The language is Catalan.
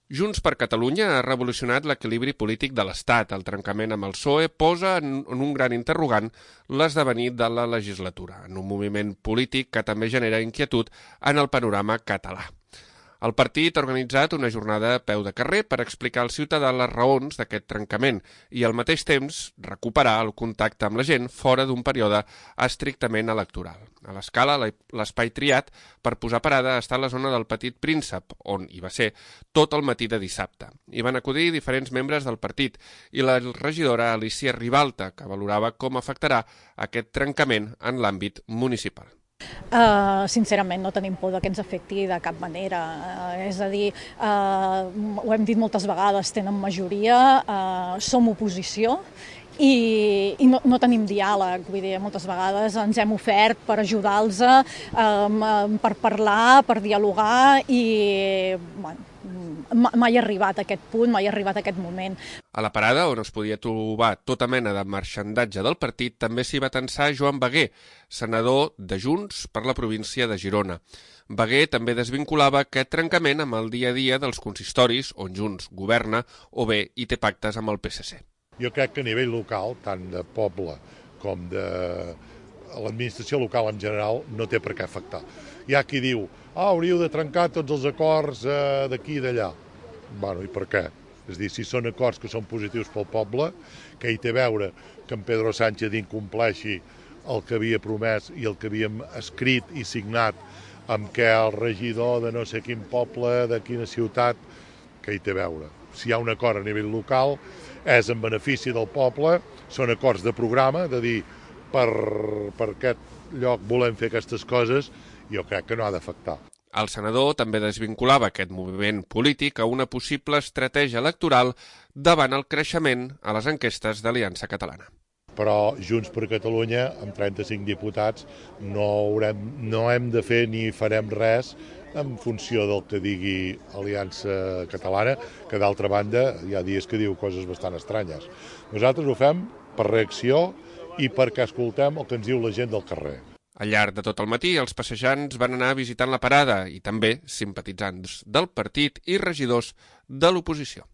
Junts per Catalunya ha revolucionat l'equilibri polític de l'Estat. El trencament amb el PSOE posa en un gran interrogant l'esdevenir de la legislatura, en un moviment polític que també genera inquietud en el panorama català. El partit ha organitzat una jornada a peu de carrer per explicar al ciutadà les raons d'aquest trencament i al mateix temps recuperar el contacte amb la gent fora d'un període estrictament electoral. A l'Escala, l'espai triat per posar parada està a la zona del Petit Príncep, on hi va ser tot el matí de dissabte. Hi van acudir diferents membres del partit i la regidora Alicia Ribalta, que valorava com afectarà aquest trencament en l'àmbit municipal. Sincerament no tenim por que ens afecti de cap manera, és a dir, ho hem dit moltes vegades, tenen majoria, som oposició i no tenim diàleg, vull dir, moltes vegades ens hem ofert per ajudar-los, per parlar, per dialogar i mai ha arribat a aquest punt, mai ha arribat a aquest moment. A la parada, on es podia trobar tota mena de marxandatge del partit, també s'hi va tensar Joan Beguer, senador de Junts per la província de Girona. Beguer també desvinculava aquest trencament amb el dia a dia dels consistoris on Junts governa o bé hi té pactes amb el PSC. Jo crec que a nivell local, tant de poble com de l'administració local en general, no té per què afectar. Hi ha qui diu, hauríeu de trencar tots els acords d'aquí i d'allà. Bueno, i per què? És a dir, si són acords que són positius pel poble, que hi té a veure que en Pedro Sánchez incompleixi el que havia promès i el que havíem escrit i signat amb què el regidor de no sé quin poble, de quina ciutat, que hi té a veure. Si hi ha un acord a nivell local, és en benefici del poble, són acords de programa, de dir, per aquest lloc volem fer aquestes coses, jo crec que no ha d'afectar. El senador també desvinculava aquest moviment polític a una possible estratègia electoral davant el creixement a les enquestes d'Aliança Catalana. Però Junts per Catalunya, amb 35 diputats, no hem de fer ni farem res en funció del que digui Aliança Catalana, que d'altra banda hi ha dies que diu coses bastant estranyes. Nosaltres ho fem per reacció i perquè escoltem el que ens diu la gent del carrer. Al llarg de tot el matí, els passejants van anar visitant la parada i també simpatitzants del partit i regidors de l'oposició.